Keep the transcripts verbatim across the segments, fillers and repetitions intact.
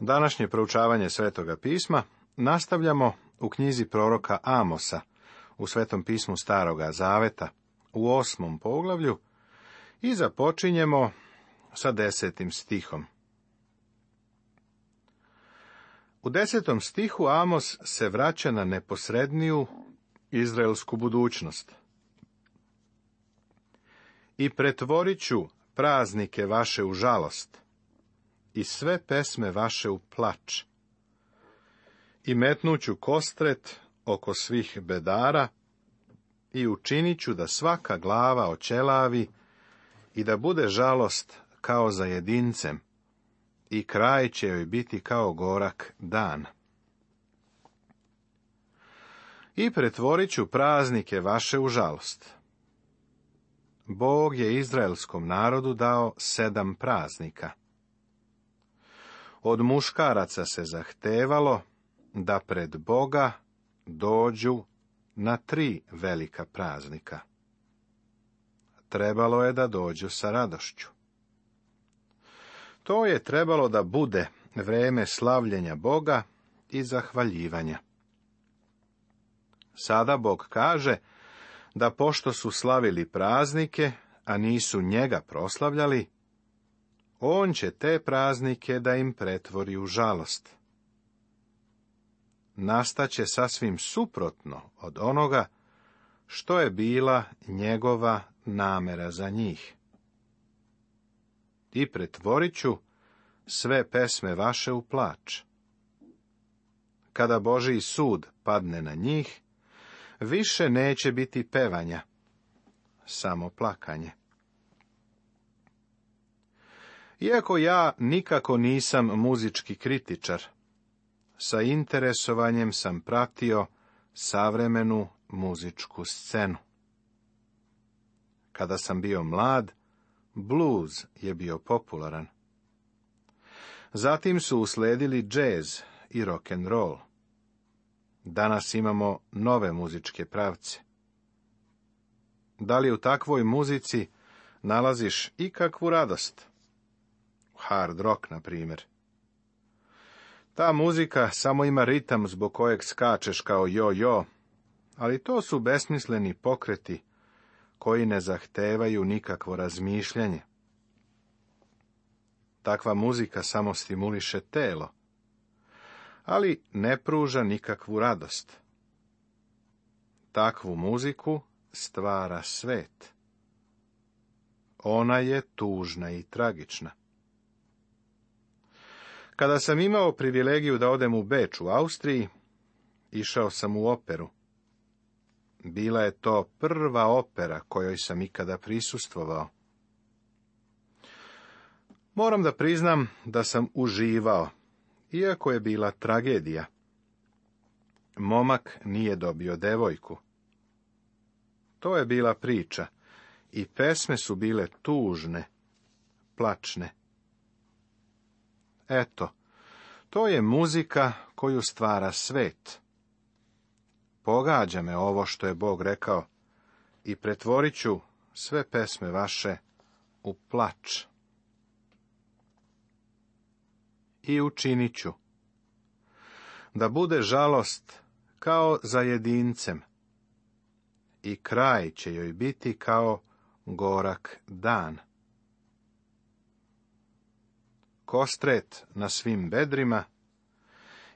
Današnje proučavanje Svetoga pisma nastavljamo u knjizi proroka Amosa, u Svetom pismu Staroga Zaveta, u osmom poglavlju, i započinjemo sa desetim stihom. U desetom stihu Amos se vraća na neposredniju izraelsku budućnost. I pretvorit ću praznike vaše u žalost, i sve pesme vaše u plač, i metnuću kostret oko svih bedara, i učinit ću da svaka glava oćelavi, i da bude žalost kao za jedincem, i kraj će joj biti kao gorak dan. I pretvorit ću praznike vaše u žalost. Bog je izraelskom narodu dao sedam praznika. Od muškaraca se zahtevalo da pred Boga dođu na tri velika praznika. Trebalo je da dođu sa radošću. To je trebalo da bude vreme slavljenja Boga i zahvaljivanja. Sada Bog kaže da pošto su slavili praznike, a nisu njega proslavljali, on će te praznike da im pretvori u žalost. Nastaće sasvim suprotno od onoga što je bila njegova namera za njih. I pretvorit ću sve pesme vaše u plač. Kada Božji sud padne na njih, više neće biti pevanja, samo plakanje. Iako ja nikako nisam muzički kritičar, sa interesovanjem sam pratio savremenu muzičku scenu. Kada sam bio mlad, bluz je bio popularan. Zatim su usledili džez i rock and roll. Danas imamo nove muzičke pravce. Da li u takvoj muzici nalaziš ikakvu radost? Hard rock, na primjer. Ta muzika samo ima ritam zbog kojeg skačeš kao jo-jo, ali to su besmisleni pokreti koji ne zahtevaju nikakvo razmišljanje. Takva muzika samo stimuliše telo, ali ne pruža nikakvu radost. Takvu muziku stvara svet. Ona je tužna i tragična. Kada sam imao privilegiju da odem u Beč u Austriji, išao sam u operu. Bila je to prva opera kojoj sam ikada prisustvovao. Moram da priznam da sam uživao, iako je bila tragedija. Momak nije dobio devojku. To je bila priča, i pesme su bile tužne, plačne. Eto, to je muzika koju stvara svet. Pogađa me ovo što je Bog rekao, i pretvorit ću sve pesme vaše u plač. I učinit ću da bude žalost kao za jedincem, i kraj će joj biti kao gorak dan. Kostret na svim bedrima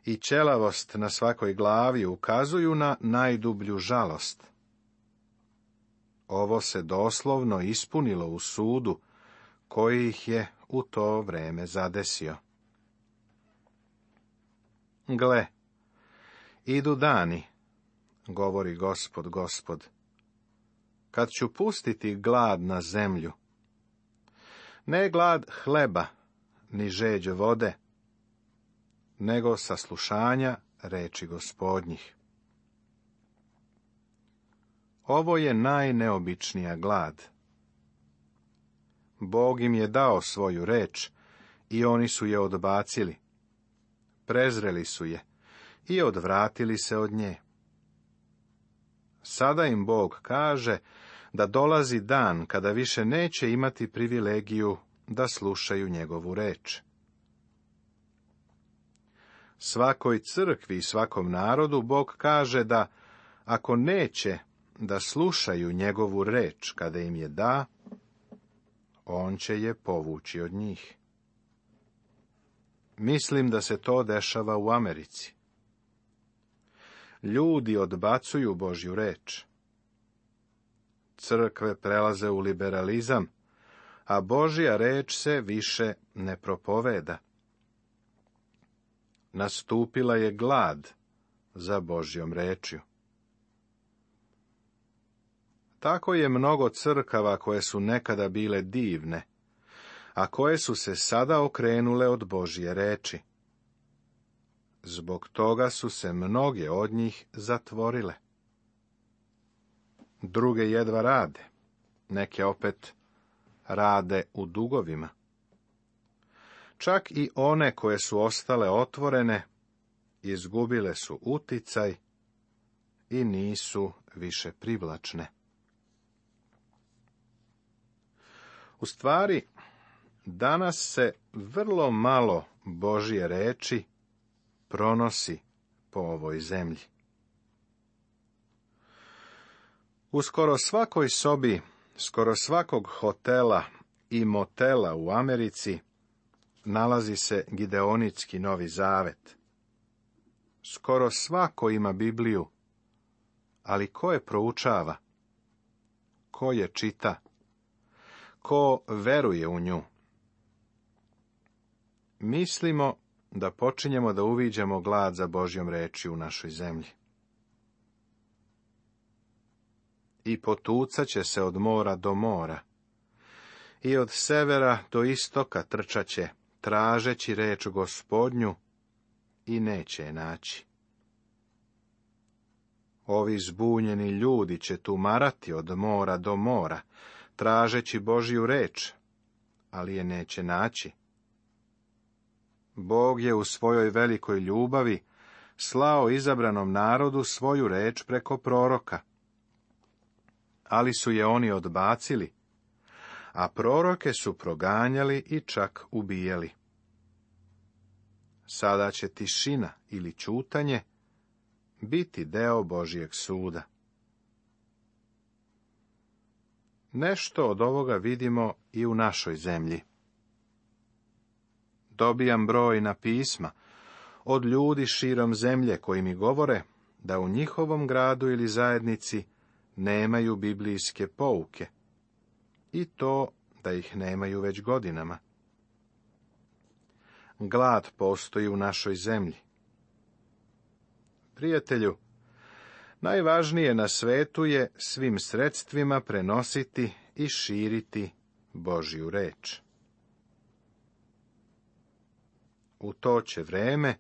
i ćelavost na svakoj glavi ukazuju na najdublju žalost. Ovo se doslovno ispunilo u sudu koji ih je u to vreme zadesio. Gle, idu dani, govori Gospod, Gospod, kad ću pustiti glad na zemlju. Ne glad hleba, ni žeđ vode, nego saslušanja reči Gospodnjih. Ovo je najneobičnija glad. Bog im je dao svoju reč i oni su je odbacili. Prezreli su je i odvratili se od nje. Sada im Bog kaže da dolazi dan kada više neće imati privilegiju da slušaju njegovu reč. Svakoj crkvi i svakom narodu Bog kaže da ako neće da slušaju njegovu reč kada im je da, on će je povući od njih. Mislim da se to dešava u Americi. Ljudi odbacuju Božju reč. Crkve prelaze u liberalizam, a Božja reč se više ne propoveda. Nastupila je glad za Božjom rečju. Tako je mnogo crkava koje su nekada bile divne, a koje su se sada okrenule od Božje reči. Zbog toga su se mnoge od njih zatvorile. Druge jedva rade, neke opet rade u dugovima. Čak i one koje su ostale otvorene, izgubile su uticaj i nisu više privlačne. U stvari, danas se vrlo malo Božje reči pronosi po ovoj zemlji. U skoro svakoj sobi, skoro svakog hotela i motela u Americi nalazi se Gideonitski Novi Zavet. Skoro svako ima Bibliju, ali ko je proučava? Ko je čita? Ko veruje u nju? Mislimo da počinjemo da uviđamo glad za Božjom reči u našoj zemlji. I potucat će se od mora do mora, i od severa do istoka trčaće, tražeći reč Gospodnju, i neće je naći. Ovi zbunjeni ljudi će tumarati od mora do mora, tražeći Božju reč, ali je neće naći. Bog je u svojoj velikoj ljubavi slao izabranom narodu svoju reč preko proroka, ali su je oni odbacili, a proroke su proganjali i čak ubijali. Sada će tišina ili ćutanje biti deo Božjeg suda. Nešto od ovoga vidimo i u našoj zemlji. Dobijam brojna pisma od ljudi širom zemlje koji mi govore da u njihovom gradu ili zajednici nemaju biblijske pouke, i to da ih nemaju već godinama. Glad postoji u našoj zemlji. Prijatelju, najvažnije na svetu je svim sredstvima prenositi i širiti Božju reč. U to će vreme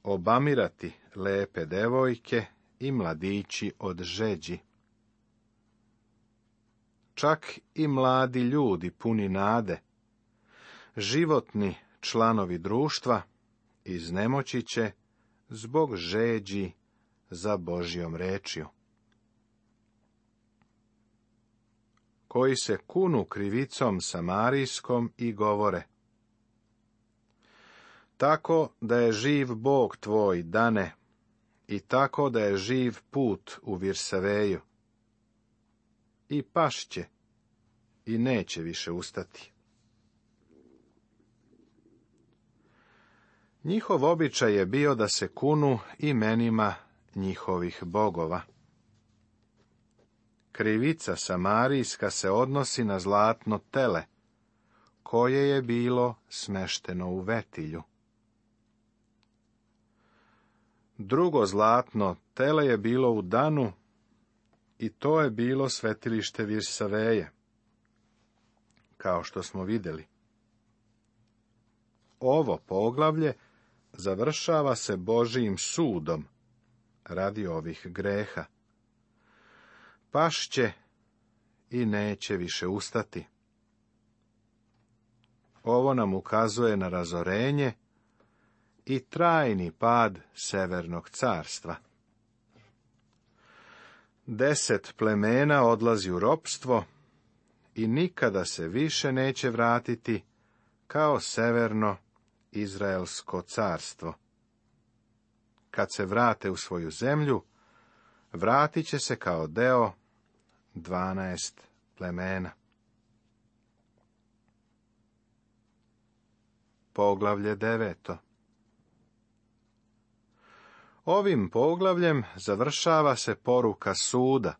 obamirati lepe devojke i mladići od žeđi. Čak i mladi ljudi puni nade, životni članovi društva, iznemoći će zbog žeđi za Božjom rečju. Koji se kunu krivicom samarijskom i govore: tako da je živ Bog tvoj, Dane, i tako da je živ put u Virsaveju. I pašće, i neće više ustati. Njihov običaj je bio da se kunu imenima njihovih bogova. Krivica samarijska se odnosi na zlatno tele, koje je bilo smešteno u vetilju. Drugo zlatno tele je bilo u Danu, i to je bilo svetilište Virsaveje, kao što smo vidjeli. Ovo poglavlje završava se Božijim sudom radi ovih greha. Pašće i neće više ustati. Ovo nam ukazuje na razorenje i trajni pad Severnog carstva. Deset plemena odlazi u ropstvo i nikada se više neće vratiti kao Severno Izraelsko carstvo. kad se vrate u svoju zemlju, vratit će se kao deo dvanaest plemena. Poglavlje deveto. Ovim poglavljem završava se poruka suda,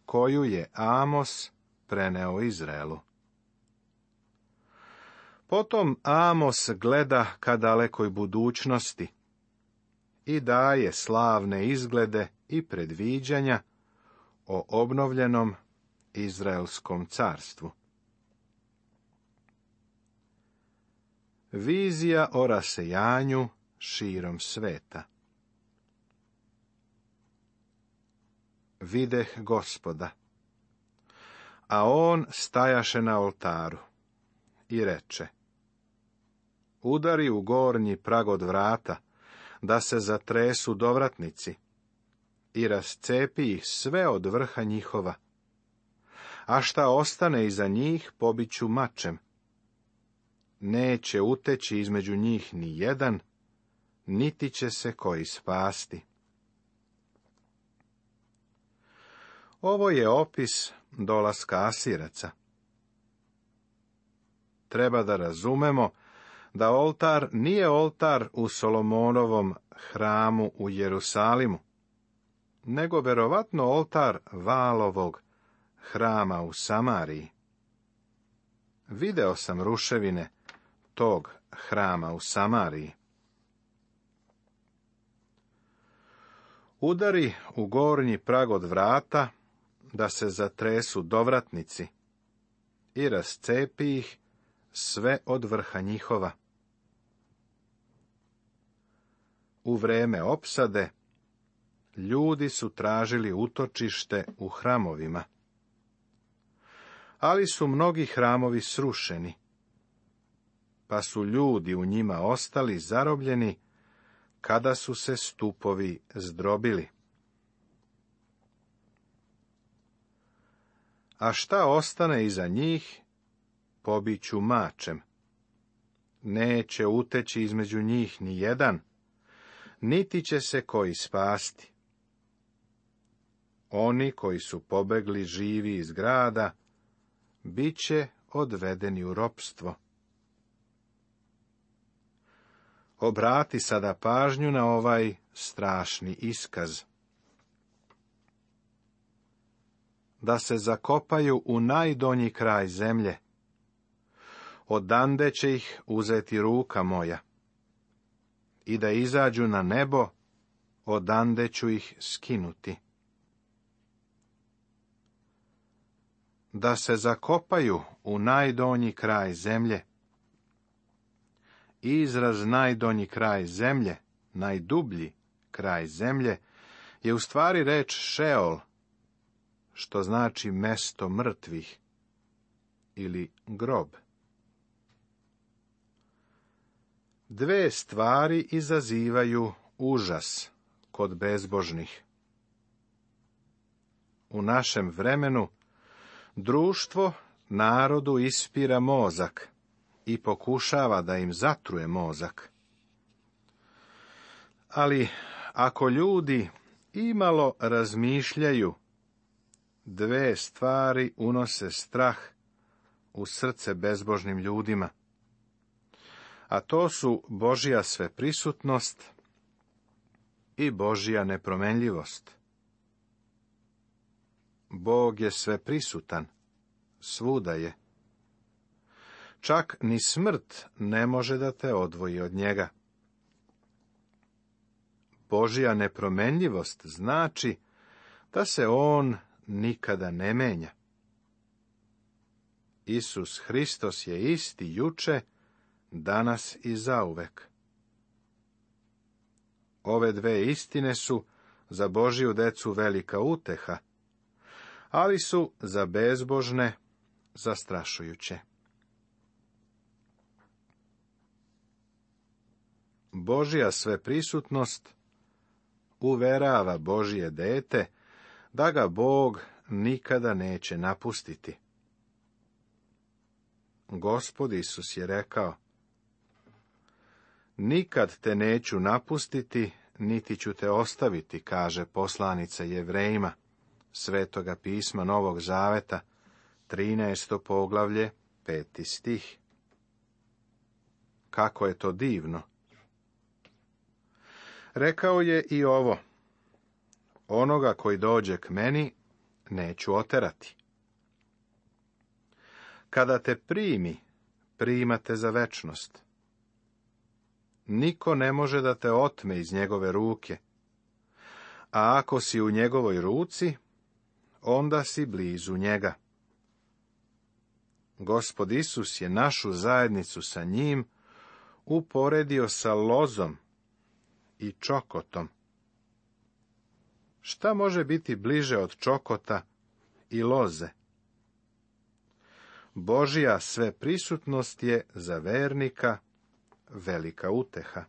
koju je Amos preneo Izraelu. Potom Amos gleda ka dalekoj budućnosti i daje slavne izglede i predviđanja o obnovljenom Izraelskom carstvu. Vizija o rasejanju širom sveta. Videh Gospoda, a on stajaše na oltaru i reče: udari u gornji prag od vrata, da se zatresu dovratnici, i rascepi ih sve od vrha njihova, a šta ostane iza njih pobiću mačem. Neće uteći između njih ni jedan, niti će se koji spasti. Ovo je opis dolaska Asiraca. Treba da razumemo da oltar nije oltar u Solomonovom hramu u Jerusalimu, nego verovatno oltar Valovog hrama u Samariji. Video sam ruševine tog hrama u Samariji. Udari u gornji prag od vrata, da se zatresu dovratnici, i rascepi ih sve od vrha njihova. U vreme opsade ljudi su tražili utočište u hramovima, ali su mnogi hramovi srušeni, pa su ljudi u njima ostali zarobljeni kada su se stupovi zdrobili. A šta ostane iza njih, pobiću mačem. Neće uteći između njih ni jedan, niti će se koji spasti. Oni koji su pobegli živi iz grada, bit će odvedeni u ropstvo. Obrati sada pažnju na ovaj strašni iskaz. Da se zakopaju u najdonji kraj zemlje. Odande će ih uzeti ruka moja. I da izađu na nebo, odande ću ih skinuti. Da se zakopaju u najdonji kraj zemlje. Izraz najdonji kraj zemlje, najdublji kraj zemlje, je u stvari reč Šeol, što znači mesto mrtvih ili grob. Dve stvari izazivaju užas kod bezbožnih. U našem vremenu društvo narodu ispira mozak i pokušava da im zatruje mozak. Ali ako ljudi imalo razmišljaju, dve stvari unose strah u srce bezbožnim ljudima, a to su Božja sveprisutnost i Božja nepromenljivost. Bog je sveprisutan, svuda je. Čak ni smrt ne može da te odvoji od njega. Božja nepromenljivost znači da se on nikada ne menja. Isus Hristos je isti juče, danas i zauvek. Ove dve istine su za Božju decu velika uteha, ali su za bezbožne zastrašujuće. Božja sveprisutnost uverava Božje dete da ga Bog nikada neće napustiti. Gospod Isus je rekao: nikad te neću napustiti, niti ću te ostaviti, kaže poslanica Jevrejima, Svetoga pisma Novog Zaveta, trinaesto poglavlje, peti stih. Kako je to divno! Rekao je i ovo: onoga koji dođe k meni, neću oterati. Kada te primi, primate za večnost. Niko ne može da te otme iz njegove ruke, a ako si u njegovoj ruci, onda si blizu njega. Gospod Isus je našu zajednicu sa njim uporedio sa lozom i čokotom. Šta može biti bliže od čokota i loze? Božja sveprisutnost je za vernika velika uteha.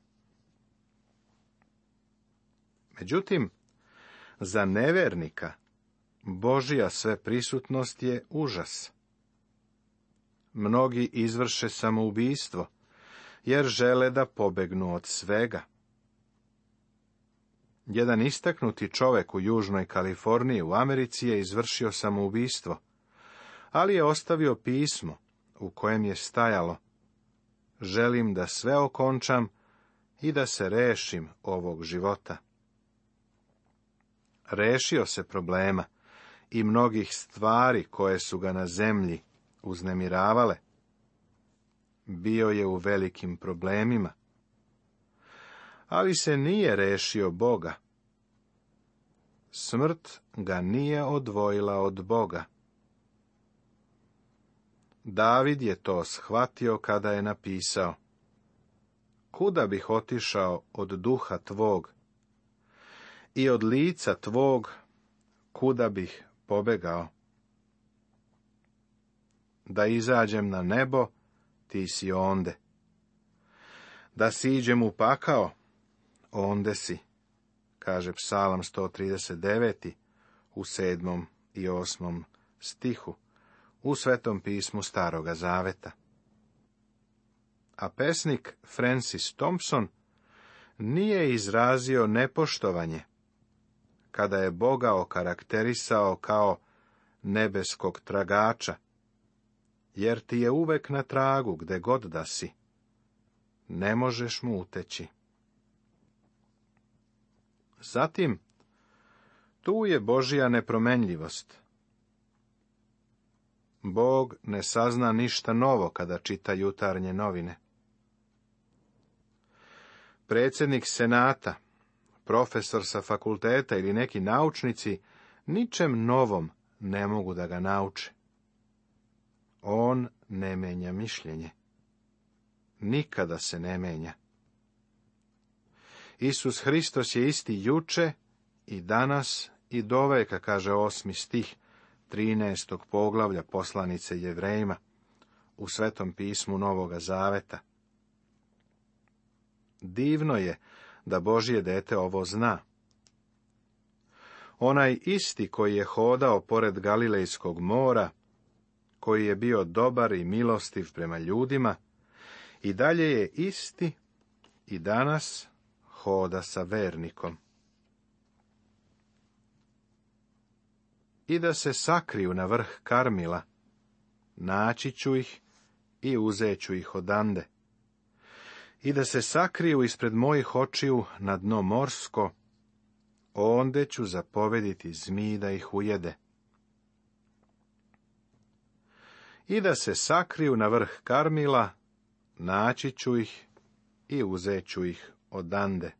Međutim, za nevernika Božja sveprisutnost je užas. Mnogi izvrše samoubistvo, jer žele da pobegnu od svega. Jedan istaknuti čovek u Južnoj Kaliforniji u Americi je izvršio samoubistvo, ali je ostavio pismo u kojem je stajalo: želim da sve okončam i da se rešim ovog života. Rešio se problema i mnogih stvari koje su ga na zemlji uznemiravale. Bio je u velikim problemima, ali se nije rešio Boga. Smrt ga nije odvojila od Boga. David je to shvatio kada je napisao: kuda bih otišao od duha tvog i od lica tvog, kuda bih pobegao? Da izađem na nebo, ti si onde. Da siđem u pakao, onde si, kaže Psalam sto trideset devet u sedmom i osmom stihu u Svetom pismu Staroga Zaveta. A pesnik Francis Thompson nije izrazio nepoštovanje kada je Boga okarakterisao kao nebeskog tragača, jer ti je uvek na tragu gde god da si. Ne možeš mu uteći. Zatim, tu je Božja nepromenljivost. Bog ne sazna ništa novo kada čita jutarnje novine. Predsjednik senata, profesor sa fakulteta ili neki naučnici ničem novom ne mogu da ga nauče. On ne menja mišljenje. Nikada se ne menja. Isus Hristos je isti juče i danas i doveka, kaže osmi stih trinaestog poglavlja poslanice Jevrejima u Svetom pismu Novoga Zaveta. Divno je da Božje dete ovo zna. Onaj isti koji je hodao pored Galilejskog mora, koji je bio dobar i milostiv prema ljudima, i dalje je isti i danas hoda sa vernikom. I da se sakriju na vrh Karmila, naći ću ih i uzet ću ih odande. I da se sakriju ispred mojih očiju na dno morsko, onde ću zapovediti zmiji da ih ujede. I da se sakriju na vrh Karmila, naći ću ih i uzet ću ih odande.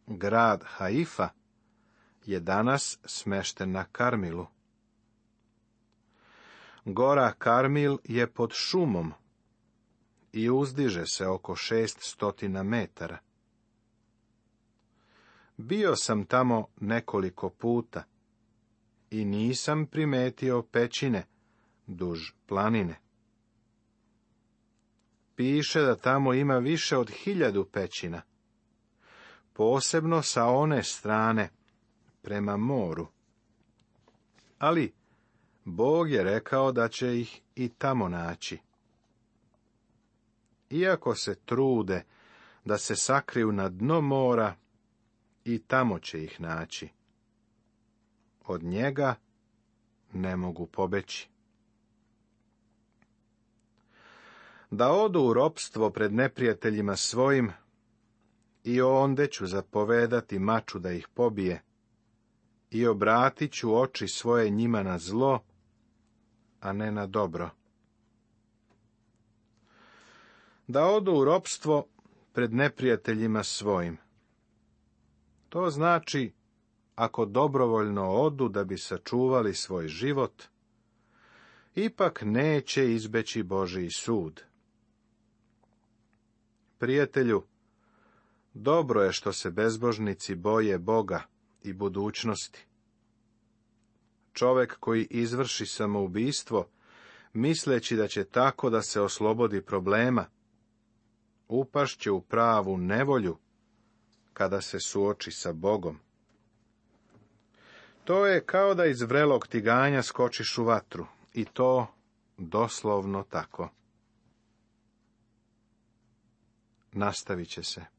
Grad Haifa je danas smešten na Karmilu. Gora Karmil je pod šumom i uzdiže se oko šest stotina metara. Bio sam tamo nekoliko puta i nisam primetio pećine duž planine. Piše da tamo ima više od hiljadu pećina, posebno sa one strane prema moru. Ali Bog je rekao da će ih i tamo naći. Iako se trude da se sakriju na dno mora i tamo će ih naći. Od njega ne mogu pobeći. Da odu u ropstvo pred neprijateljima svojim, i onde ću zapovedati maču da ih pobije, i obratit ću oči svoje njima na zlo, a ne na dobro. Da odu u ropstvo pred neprijateljima svojim. To znači, ako dobrovoljno odu da bi sačuvali svoj život, ipak neće izbeći Božji sud. Prijatelju, dobro je što se bezbožnici boje Boga i budućnosti. Čovek koji izvrši samoubistvo, misleći da će tako da se oslobodi problema, upašće u pravu nevolju kada se suoči sa Bogom. To je kao da iz vrelog tiganja skočiš u vatru, i to doslovno tako. Nastavit će se.